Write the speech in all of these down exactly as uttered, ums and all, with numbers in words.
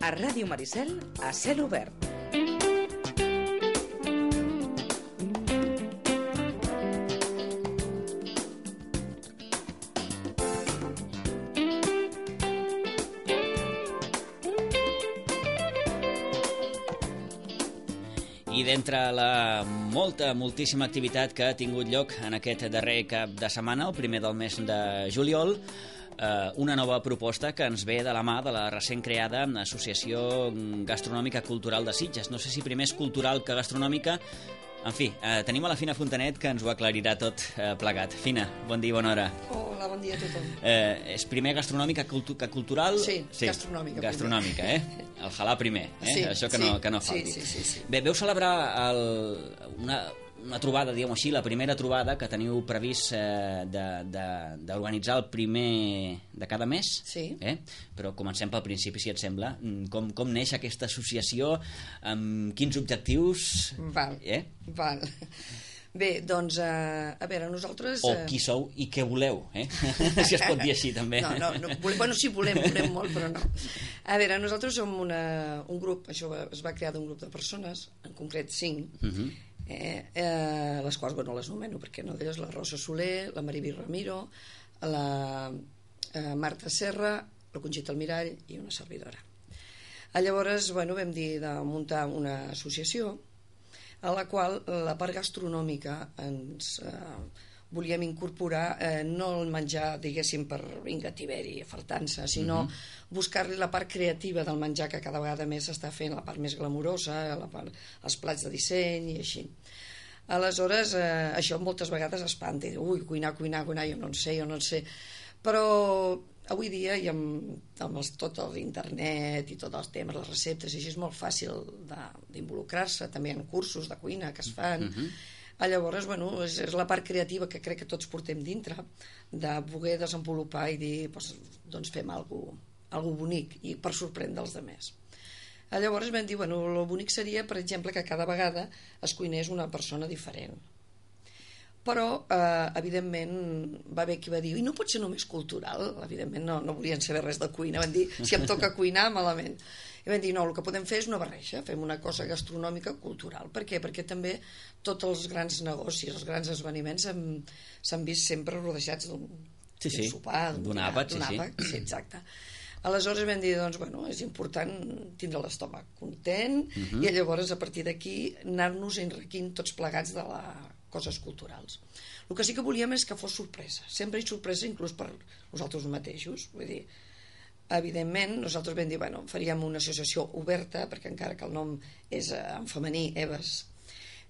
A Ràdio Maricel, a cel obert. I d'entre la molta, moltíssima activitat que ha tingut lloc en aquest darrer cap de setmana, el primer del mes de juliol, eh, una nova proposta que ens ve de la mà de la recent creada Associació Gastronòmica Cultural de Sitges. No sé si primer és cultural que gastronòmica. En fi, eh, tenim a la Fina Fontanet, que ens ho aclarirà tot eh, plegat. Fina, bon dia i bona hora. Hola, bon dia a tothom. Eh, és primer gastronòmica cultu que cultural? Sí, sí, gastronòmica. Gastronòmica, eh? El halà primer, eh? Sí, Això que, sí, no, que no falti. Sí, sí, sí, sí. Bé, veu celebrar el, una, una trobada, diguem-ho així, la primera trobada que teniu previst eh, d'organitzar el primer de cada mes. Sí. Eh? Però comencem pel principi, si et sembla. Com, com neix aquesta associació? Amb quins objectius? Val, eh? val. Bé, doncs, eh, a veure, nosaltres... O qui sou i què voleu, eh? Si es pot dir així, també. No, no, no volem, bueno, sí, volem, volem molt, però no. A veure, nosaltres som una, un grup, això va, es va crear d'un grup de persones, en concret cinc, uh -huh. eh, eh, les quals, bueno, les nomeno, perquè no d'elles, la Rosa Soler, la Mariví Ramiro, la eh, Marta Serra, la Conxita Almirall i una servidora. Llavors, bueno, vam dir de muntar una associació a la qual la part gastronòmica ens eh, volíem incorporar, eh, no el menjar, diguéssim, per vinga, tiberi, afartant-se, sinó uh -huh. buscar-li la part creativa del menjar, que cada vegada més s'està fent, la part més glamurosa, la part, els plats de disseny i així. Aleshores, eh, això moltes vegades espanta, i diu, ui, cuinar, cuinar, cuinar, jo no en sé, jo no en sé, però avui dia, i amb, amb els, tot l'internet i tots els temes, les receptes, i així és molt fàcil d'involucrar-se, també en cursos de cuina que es fan. Uh -huh. Llavors, bueno, és, és la part creativa que crec que tots portem dintre, de poder desenvolupar i dir, doncs, doncs fem alguna cosa bonic, i per sorprendre els altres. Llavors vam dir, bueno, el bonic seria, per exemple, que cada vegada es cuinés una persona diferent. Però, eh, evidentment, va haver qui va dir, i no pot ser només cultural? Evidentment no, no volien saber res de cuina, van dir, si em toca cuinar, malament. I van dir, no, el que podem fer és una barreja, fem una cosa gastronòmica cultural. Per què? Perquè també tots els grans negocis, els grans esdeveniments s'han vist sempre rodejats d'un sí, sí. sopar, d'un àpat, sí, àpat, sí. sí, exacte. Aleshores vam dir, doncs, bueno, és important tindre l'estómac content, uh -huh. i llavors, a partir d'aquí, anar-nos enriquint tots plegats de la coses culturals. El que sí que volíem és que fos sorpresa, sempre hi sorpresa inclús per nosaltres mateixos, vull dir, evidentment nosaltres vam dir, bueno, faríem una associació oberta, perquè encara que el nom és en femení, Eves,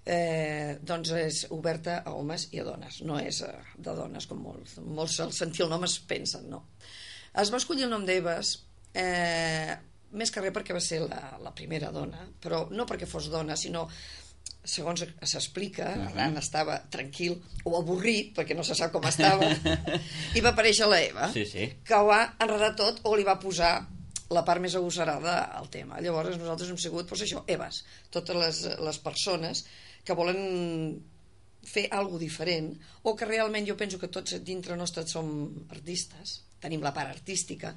eh, doncs és oberta a homes i a dones, no és de dones, com molts, molts al sentir el nom es pensen, no. Es va escollir el nom d'Eves, eh, més que res perquè va ser la, la primera dona, però no perquè fos dona, sinó segons s'explica, uh -huh. Arran estava tranquil o avorrit, perquè no se sap com estava, i va aparèixer la Eva, sí, sí. que ho va enredar tot o li va posar la part més agosarada al tema. Llavors nosaltres hem sigut, doncs això, Eves, totes les, les persones que volen fer alguna diferent, o que realment jo penso que tots dintre nostre som artistes, tenim la part artística,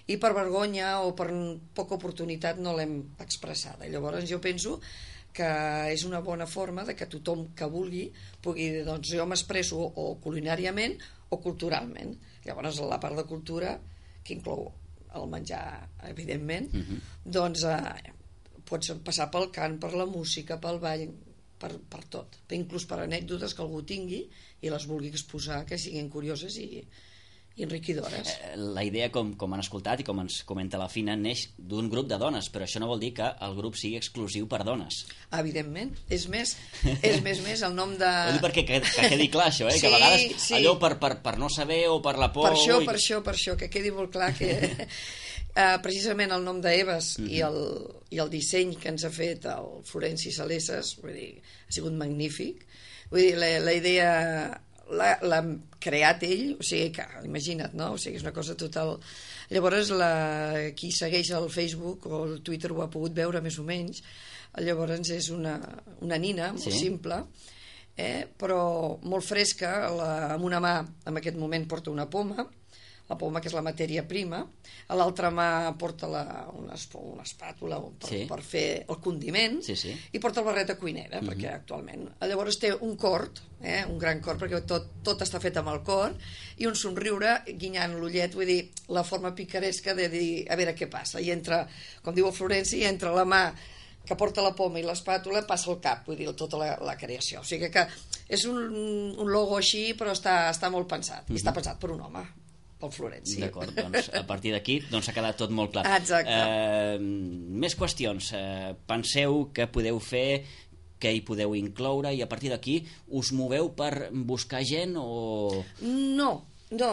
i per vergonya o per poca oportunitat no l'hem expressada. Llavors jo penso que és una bona forma de que tothom que vulgui pugui dir, doncs jo m'expresso o culinàriament o culturalment. Llavors la part de cultura, que inclou el menjar, evidentment, uh -huh. doncs eh, pots passar pel cant, per la música, pel ball, per, per tot, inclús per anècdotes que algú tingui i les vulgui exposar, que siguin curioses i i enriquidores. La idea, com, com han escoltat i com ens comenta la Fina, neix d'un grup de dones, però això no vol dir que el grup sigui exclusiu per dones. Evidentment, és més, és més, més el nom de... Ho dic perquè que, que quedi clar això, eh? Sí, que a vegades sí. allò per, per, per no saber o per la por... Per això, i... per això, per això, que quedi molt clar que uh, precisament el nom d'Eves uh-huh. i, el, i el disseny que ens ha fet el Florenci Salesses, vull dir, ha sigut magnífic. Vull dir, la, la idea... l'ha creat ell, o sigui que imagina't, no? O sigui, és una cosa total. Llavors la, qui segueix el Facebook o el Twitter ho ha pogut veure més o menys. Llavors és una, una nina molt sí. simple, eh? però molt fresca, la, amb una mà en aquest moment porta una poma, la poma, que és la matèria prima, a l'altra mà porta la, una, una espàtula per, sí. per fer el condiment, sí, sí. i porta el barret de cuinera, uh-huh. perquè actualment... Llavors té un cort, eh, un gran cort, perquè tot, tot està fet amb el cort, i un somriure guinyant l'ullet, vull dir, la forma picaresca de dir, a veure què passa, i entra, com diu el Florenci, entra la mà que porta la poma i l'espàtula, passa el cap, vull dir, tota la, la creació. O sigui que és un, un logo així, però està, està molt pensat, uh-huh. i està pensat per un home, pel Florenci. D'acord, doncs a partir d'aquí doncs s'ha quedat tot molt clar. Exacte. Eh, més qüestions. Eh, penseu que podeu fer, que hi podeu incloure, i a partir d'aquí us moveu per buscar gent o... No, no,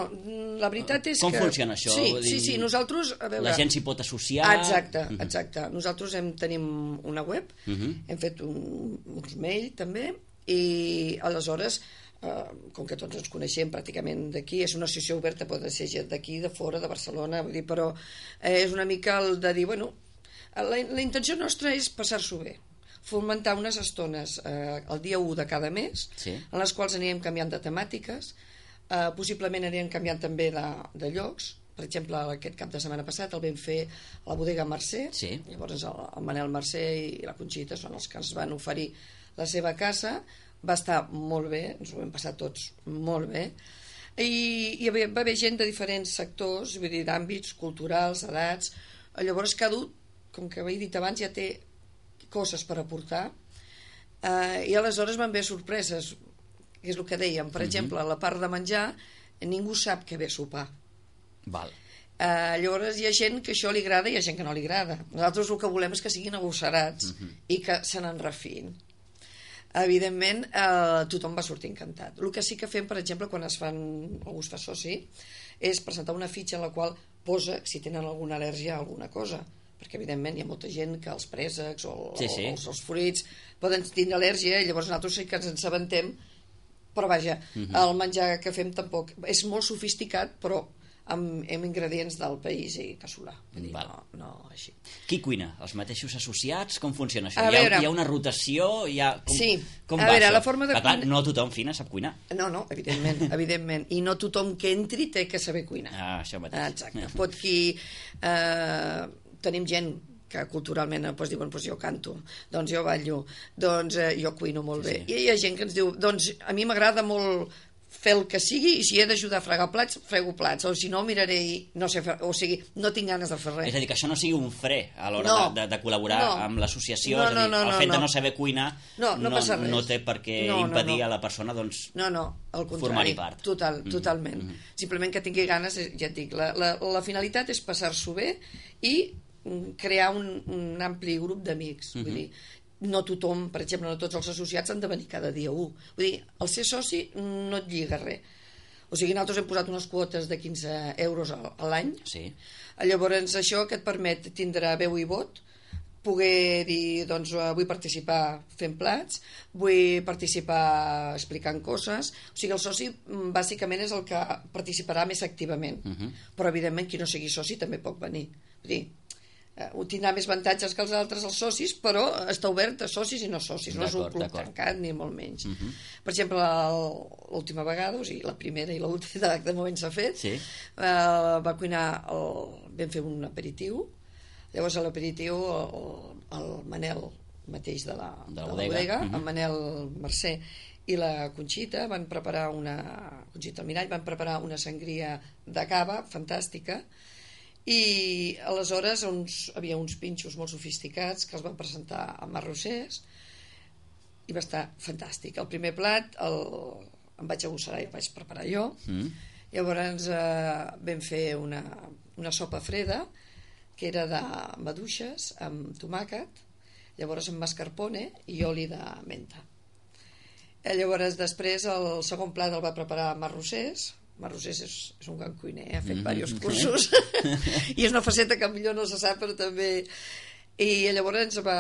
la veritat és Com que... Com funciona això? Sí, Vull dir, sí, sí, nosaltres... A veure... La gent s'hi pot associar... Exacte, exacte. Nosaltres hem, tenim una web, uh-huh. hem fet un, uns mail també, i aleshores, eh, com que tots ens coneixem pràcticament d'aquí, és una associació oberta, pot ser gent d'aquí, de fora, de Barcelona, vull dir, però eh, és una mica el de dir, bueno, la, la intenció nostra és passar-s'ho bé, fomentar unes estones eh, el dia u de cada mes, sí. en les quals anirem canviant de temàtiques, eh, possiblement anirem canviant també de, de llocs. Per exemple, aquest cap de setmana passat el vam fer a la bodega Mercè, sí. llavors el, el Manel Mercè i la Conxita són els que ens van oferir la seva casa, va estar molt bé, ens ho vam passar tots molt bé, i, i va haver gent de diferents sectors, vull dir, d'àmbits culturals, edats, llavors cada un, com que he dit abans, ja té coses per aportar, eh, i aleshores van haver sorpreses, que és el que dèiem, per uh-huh. exemple, a la part de menjar, ningú sap què ve a sopar. Val. Uh, llavors hi ha gent que això li agrada i hi ha gent que no li agrada. Nosaltres el que volem és que siguin agosarats uh-huh. i que se n'en refin. Evidentment eh, tothom va sortir encantat. El que sí que fem, per exemple, quan es fan, algú es fa soci, és presentar una fitxa en la qual posa si tenen alguna al·lèrgia a alguna cosa, perquè evidentment hi ha molta gent que els préssecs o, sí, sí. o els, els fruits poden tenir al·lèrgia, i llavors nosaltres sí que ens assabentem, però vaja, uh-huh. el menjar que fem tampoc és molt sofisticat, però amb, amb ingredients del país i casolà. Vull dir, no, no així. Qui cuina? Els mateixos associats? Com funciona això? A Hi ha, veure, hi ha una rotació? Hi ha... Com, sí. Com a va veure, això? la forma de Clar, cuina... no tothom fina sap cuinar. No, no, evidentment, evidentment. I no tothom que entri té que saber cuinar. Ah, això mateix. Exacte. Pot qui... Eh, tenim gent que culturalment doncs, diuen, doncs jo canto, doncs jo ballo, doncs eh, jo cuino molt sí, bé. sí. I hi ha gent que ens diu, doncs a mi m'agrada molt fer el que sigui, i si he d'ajudar a fregar plats, frego plats, o si no miraré i no sé fer, o sigui, no tinc ganes de fer res. És a dir, que això no sigui un fre a l'hora no, de, de, de col·laborar no, amb l'associació, no, és a dir, no, no, el no, fet no. de no saber cuinar no, no, no, no té per què no, impedir no, no. a la persona doncs, no, no, al contrari, formar-hi part. Total, Mm-hmm. totalment. Mm-hmm. Simplement que tingui ganes, ja et dic, la, la, la finalitat és passar-s'ho bé i crear un, un ampli grup d'amics. Mm-hmm. Vull dir, no tothom, per exemple, no tots els associats han de venir cada dia u. Vull dir, el ser soci no et lliga res. O sigui, nosaltres hem posat unes quotes de quinze euros a, a l'any. Sí. Llavors, això que et permet tindre veu i vot, poder dir, doncs, vull participar fent plats, vull participar explicant coses. O sigui, el soci, bàsicament, és el que participarà més activament. Uh-huh. Però, evidentment, qui no sigui soci també pot venir. Vull dir, ho tindrà més avantatges que els altres, els socis, però està obert a socis i no socis, no és un club tancat ni molt menys. Uh-huh. Per exemple, l'última vegada, o sigui, la primera i l'última de moment s'ha fet, sí. eh, va cuinar el, vam fer un aperitiu, llavors a l'aperitiu el, el Manel mateix de la, de la de bodega, la bodega uh-huh. el Manel Mercè i la Conxita van preparar una Conxita Almirall van preparar una sangria de cava fantàstica. I aleshores uns, havia uns pinxos molt sofisticats que els van presentar a Marrossers i va estar fantàstic. El primer plat el, em vaig agossarar i el vaig preparar jo. Mm. Llavors eh, vam fer una, una sopa freda que era de maduixes amb tomàquet, llavors amb mascarpone i oli de menta. Llavors després el segon plat el va preparar Marrossers. Marrossers és, és un gran cuiner, ha fet mm-hmm. diversos cursos i és una faceta que millor no se sap, però també... I llavors ens va,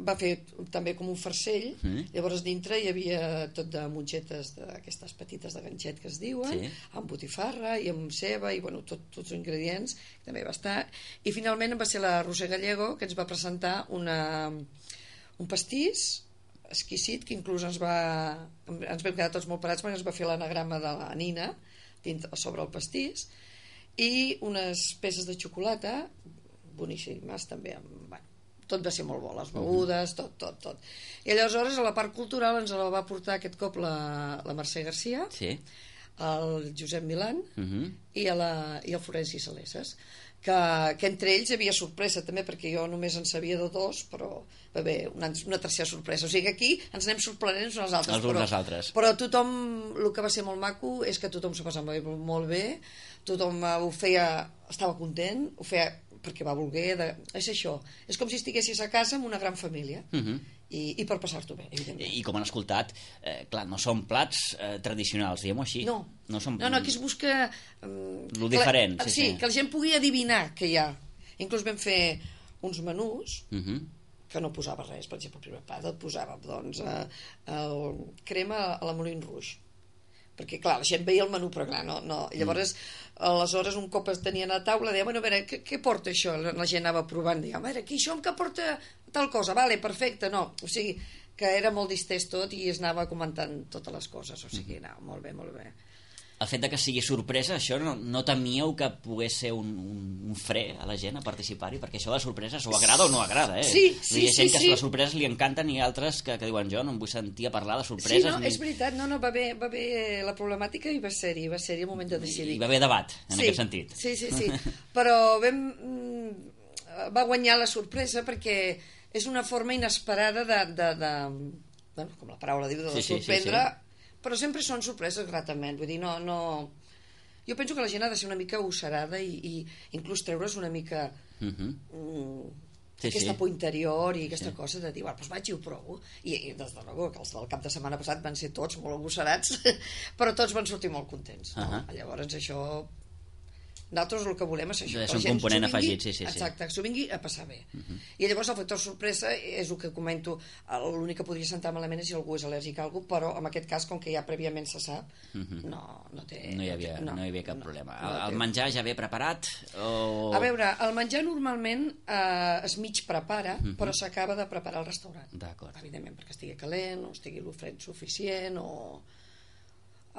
va fer també com un farcell, mm. llavors dintre hi havia tot de mongetes d'aquestes petites de ganxet que es diuen, sí. amb botifarra i amb ceba i bueno, tot, tots els ingredients, també va estar. I finalment va ser la Roser Gallego que ens va presentar una, un pastís exquisit, que inclús ens va ens vam quedar tots molt parats perquè ens va fer l'anagrama de la Nina, dintre, sobre el pastís, i unes peces de xocolata boníssimes també, bueno, tot va ser molt bo, les begudes, tot, tot, tot. I aleshores a la part cultural ens la va portar aquest cop la, la Mercè Garcia, sí. el Josep Milán uh -huh. i, a la, i el Florenci Saleses, que, que entre ells hi havia sorpresa també, perquè jo només en sabia de dos, però va haver una, una tercera sorpresa, o sigui que aquí ens anem sorprenent uns als altres, els uns als altres. Però tothom, el que va ser molt maco és que tothom s'ho passava molt bé, tothom ho feia, estava content, ho feia perquè va voler, de... és això, és com si estiguessis a casa amb una gran família, uh -huh. i, i per passar-t'ho bé, evidentment. I com han escoltat, eh, clar, no són plats eh, tradicionals, diguem-ho així. No. No, són... no, no, aquí es busca... Um, lo diferent. La, sí, sí, sí, que la gent pugui adivinar què hi ha. Inclús vam fer uns menús uh -huh. que no posava res, per exemple, el primer plat et posava, doncs, eh, el crema a la Moulin Rouge, perquè clar, la gent veia el menú, però clar, no, no. Llavors, aleshores un cop es tenien a taula deia, bueno, a veure, què, què porta això? La gent anava provant, deia, a veure, aquí això que porta tal cosa, vale, perfecte, no, o sigui que era molt distès tot i es anava comentant totes les coses, o sigui, no, molt bé, molt bé. El fet de que sigui sorpresa, això no, no temíeu que pogués ser un, un, un fre a la gent a participar-hi? Perquè això de la sorpresa s'ho agrada o no agrada, eh? Sí, sí, hi ha gent sí, que sí. les sorpreses li encanten i altres que, que diuen jo no em vull sentir a parlar de sorpreses. Sí, no, ni... és veritat, no, no, va bé, va bé la problemàtica i va ser-hi, va ser-hi el moment de decidir. I va haver debat, en sí, aquest sentit. Sí, sí, sí, però vam, va guanyar la sorpresa perquè és una forma inesperada de, de, de bueno, com la paraula diu, de sí, sorprendre, sí, sí, sí. Però sempre són sorpreses gratament, vull dir, no, no... Jo penso que la gent ha de ser una mica usarada i, i inclús treure's una mica Uh -huh. mm, sí, aquesta sí. por interior i aquesta sí. cosa de dir, bueno, doncs vaig i ho provo. I, i des de luego, que els del cap de setmana passat van ser tots molt agosarats, però tots van sortir molt contents. No? Uh -huh. Llavors això... Nosaltres el que volem és això. És que la un gent component s'ho vingui, afegit, sí, sí, sí. Exacte, que s'ho vingui a passar bé. Uh -huh. I llavors el factor sorpresa és el que comento, l'únic que podria sentar malament és si algú és al·lèrgic a alguna cosa, però en aquest cas, com que ja prèviament se sap, uh -huh. no, no té... No hi havia, no, no hi havia cap no, problema. no, no el té... menjar ja ve preparat? O... A veure, el menjar normalment eh, es mig prepara, uh -huh. però s'acaba de preparar al restaurant. D'acord. Evidentment, perquè estigui calent, o estigui l'ofret suficient, o...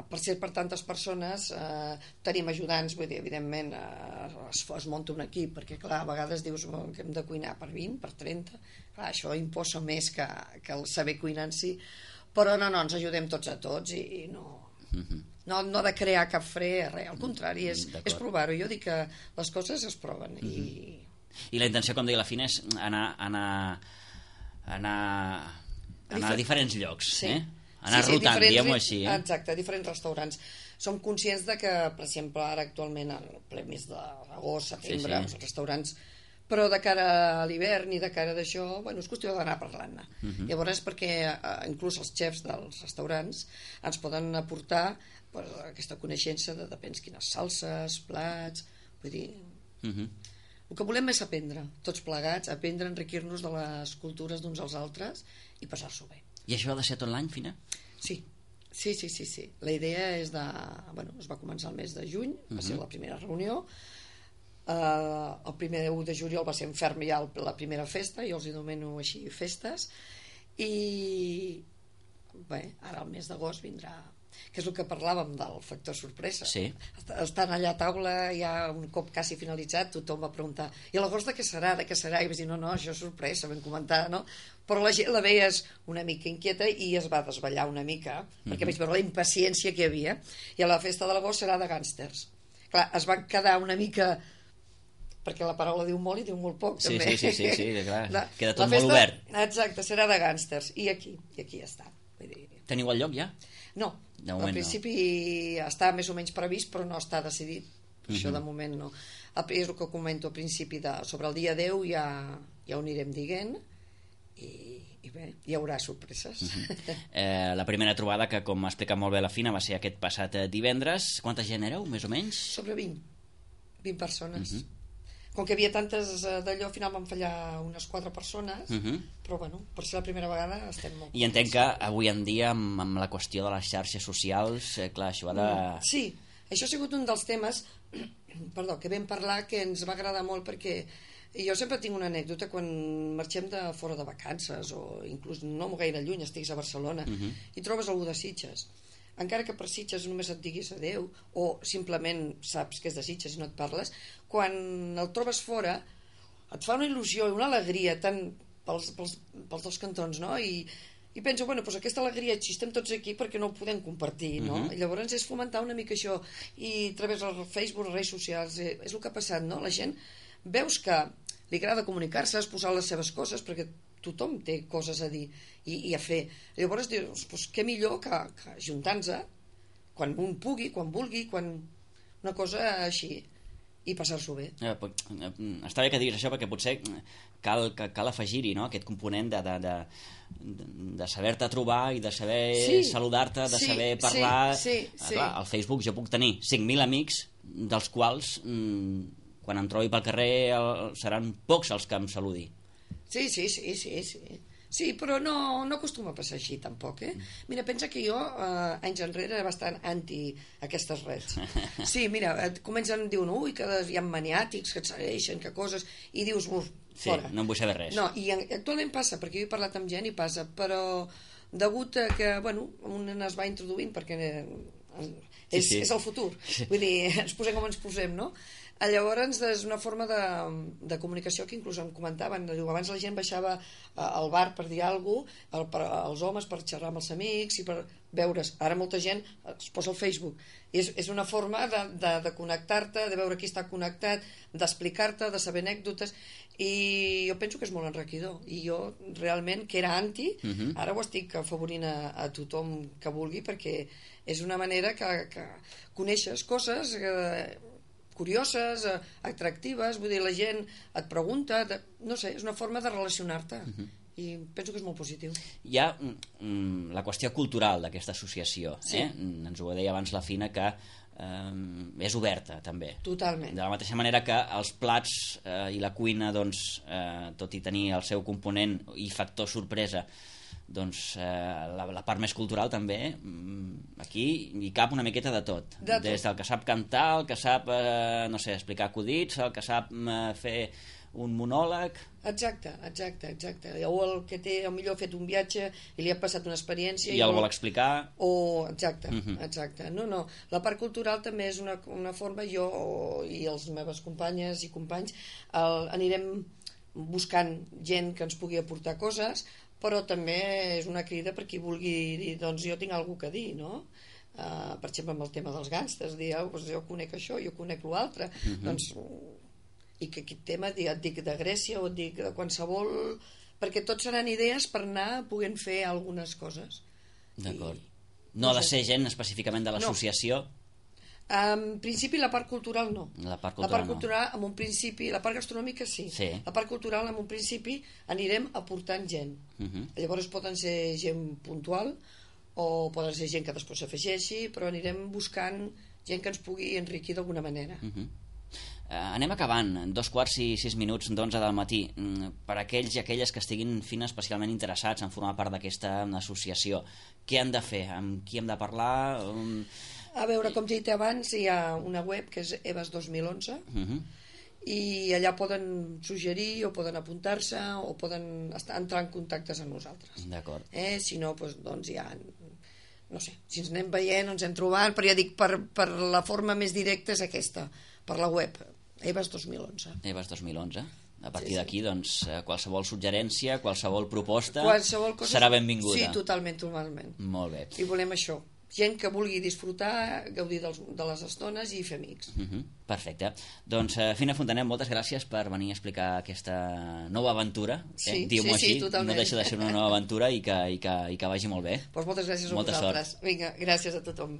per ser per tantes persones eh, tenim ajudants, vull dir, evidentment eh, es, es munta un equip, perquè clar, a vegades dius que hem de cuinar per vint, per trenta, clar, això imposa més que, que el saber cuinar en si, però no, no, ens ajudem tots a tots i, i no, uh -huh. no no de crear cap fre, res, al contrari, és, és provar-ho. Jo dic que les coses es proven. Uh -huh. i... I la intenció, com deia la Fina, és anar, anar, anar, anar a diferents llocs, sí. eh? Anar sí, sí, rotant, diguem-ho així. Eh? Exacte, diferents restaurants. Som conscients de que, per exemple, ara actualment, al ple mes d'agost, setembre, sí, sí. els restaurants, però de cara a l'hivern i de cara d'això, bueno, és qüestió d'anar parlant-ne. Uh -huh. Llavors, perquè eh, inclús els xefs dels restaurants ens poden aportar pues, aquesta coneixença de depèn quines salses, plats, vull dir... Uh -huh. El que volem és aprendre, tots plegats, aprendre, enriquir-nos de les cultures d'uns als altres i passar-s'ho bé. I això ha de ser tot l'any, Fina? Sí, sí, sí, sí, sí. La idea és de... Bueno, es va començar el mes de juny, va uh -huh. ser la primera reunió. Uh, el primer u de juliol va ser en ferm ja la primera festa, jo els anomeno així festes, i bé, ara el mes d'agost vindrà, que és el que parlàvem del factor sorpresa. Sí. Estan allà a taula, ja un cop quasi finalitzat, tothom va preguntar, i l'agost de què serà, de què serà? I vaig dir, no, no, això és sorpresa, vam comentar, no? Però la gent la veies una mica inquieta i es va desballar una mica, uh-huh. perquè vaig veure la impaciència que hi havia, i a la festa de l'agost serà de gàngsters. Clar, es van quedar una mica... perquè la paraula diu molt i diu molt poc, sí, també. Sí, sí, sí, sí, clar. La, queda tot la festa, molt obert. Exacte, serà de gàngsters, i aquí, i aquí està. Vull dir... Teniu el lloc ja? No, de moment, al principi no. Està més o menys previst, però no està decidit. Uh -huh. Això de moment no. És el que comento al principi, de, sobre el dia deu ja, ja ho anirem dient, i, i bé, hi haurà sorpreses. Uh -huh. eh, la primera trobada, que com ha explicat molt bé la Fina, va ser aquest passat divendres. Quanta gent éreu, més o menys? Sobre vint, vint persones. Uh -huh. Com que hi havia tantes d'allò, al final van fallar unes quatre persones, uh -huh. però bueno, per ser la primera vegada estem molt... I entenc que avui en dia, amb, amb la qüestió de les xarxes socials, eh, clar, això ha de... Sí, això ha sigut un dels temes perdó, que vam parlar, que ens va agradar molt, perquè jo sempre tinc una anècdota quan marxem de fora de vacances, o inclús no gaire lluny, estiguis a Barcelona, uh -huh. i trobes algú de Sitges. encara que per Sitges només et diguis adeu, o simplement saps que és de Sitges i no et parles, quan el trobes fora et fa una il·lusió i una alegria tant pels, pels, pels dos cantons, no? I, i penso, bueno, doncs aquesta alegria si estem tots aquí perquè no ho podem compartir, no? Uh-huh. I llavors és fomentar una mica això, i a través del Facebook, les redes socials, eh, és el que ha passat, no? La gent veus que li agrada comunicar-se, exposar les seves coses, perquè tothom té coses a dir i, i a fer. Llavors dius, doncs què millor que, que ajuntar-nos quan un pugui, quan vulgui, quan una cosa així, i passar-s'ho bé. Eh, està bé que diguis això, perquè potser cal, cal afegir-hi, no?, aquest component de, de, de, de saber-te trobar i de saber sí, saludar-te, de sí, saber parlar. Sí, sí, ah, clar, al Facebook jo puc tenir cinc mil amics, dels quals mmm, quan em trobi pel carrer el, seran pocs els que em saludi. Sí, sí, sí, sí, sí. Sí, però no, no acostuma a passar així, tampoc, eh? Mira, pensa que jo, eh, anys enrere, era bastant anti aquestes redes. Sí, mira, et comencen, diuen, ui, que hi ha maniàtics que et segueixen, que coses, i dius, uf, fora. Sí, no en vull saber res. No, i actualment passa, perquè jo he parlat amb gent i passa, però degut a que, bueno, un es va introduint, perquè és, sí, sí. és el futur, vull dir, ens posem com ens posem, no? Llavors és una forma de, de comunicació que inclús em comentaven, diu, abans la gent baixava al bar per dir alguna cosa, els homes per xerrar amb els amics i per veure's, ara molta gent es posa al Facebook i és, és una forma de, de, de connectar-te, de veure qui està connectat, d'explicar-te, de saber anècdotes, i jo penso que és molt enriquidor, i jo realment que era anti, uh-huh. ara ho estic afavorint a, a tothom que vulgui, perquè és una manera que, que coneixes coses que curioses, atractives, vull dir, la gent et pregunta, de, no sé, és una forma de relacionar-te, uh-huh. i penso que és molt positiu. Hi ha mm, la qüestió cultural d'aquesta associació, sí. eh? Ens ho deia abans la Fina, que eh, és oberta, també. Totalment. De la mateixa manera que els plats eh, i la cuina, doncs, eh, tot i tenir el seu component i factor sorpresa, doncs eh, la, la part més cultural també, aquí hi cap una miqueta de tot, de tot. Des del que sap cantar, el que sap eh, no sé, explicar acudits, el que sap eh, fer un monòleg. Exacte, exacte, exacte. O el que té, o millor ha fet un viatge i li ha passat una experiència i, i el vol explicar. O, exacte, uh-huh. exacte. No, no, la part cultural també és una, una forma, jo i les meves companyes i companys el, anirem buscant gent que ens pugui aportar coses, però també és una crida per qui vulgui dir, doncs jo tinc alguna cosa a dir, no? Uh, per exemple, amb el tema dels gàngsters, dir, oh, doncs jo conec això, jo conec l'altre, uh-huh. doncs, i que aquest tema et dic de Grècia o et dic de qualsevol, perquè tots seran idees per anar podent fer algunes coses. D'acord. I, no ha de ser gent específicament de l'associació? No. En principi la part cultural no. La part cultural, la part cultural no. En un principi, la part gastronòmica sí. sí. La part cultural en un principi anirem aportant gent. Uh-huh. Llavors poden ser gent puntual o poden ser gent que després s'afegeixi, però anirem buscant gent que ens pugui enriquir d'alguna manera. Uh-huh. Uh, anem acabant, dos quarts i sis minuts d'onze del matí. Mm, per aquells i aquelles que estiguin Fina especialment interessats en formar part d'aquesta associació, què han de fer? Amb qui hem de parlar? Um... A veure, com he dit abans, hi ha una web que és EVAS dos mil onze, uh-huh. i allà poden suggerir o poden apuntar-se o poden estar, entrar en contactes amb nosaltres. D'acord. Eh? Si no, doncs, doncs ja... No sé, si ens anem veient, ens hem trobat, però ja dic, per, per la forma més directa és aquesta, per la web, EVAS dos mil onze. EVAS dos mil onze. A partir sí, sí. d'aquí, doncs, qualsevol suggerència, qualsevol proposta qualsevol cosa serà benvinguda. Sí, totalment, totalment. Molt bé. I volem això. Gent que vulgui disfrutar, gaudir dels, de les estones i fer amics. Uh-huh. Perfecte. Doncs, uh, Fina Fontanet, moltes gràcies per venir a explicar aquesta nova aventura. Sí, eh? Diu-m'ho sí, sí, així, totalment. no deixa de ser una nova aventura i que, i que, i que vagi molt bé. Pues moltes gràcies a Molta vosaltres. Sort. Vinga, gràcies a tothom.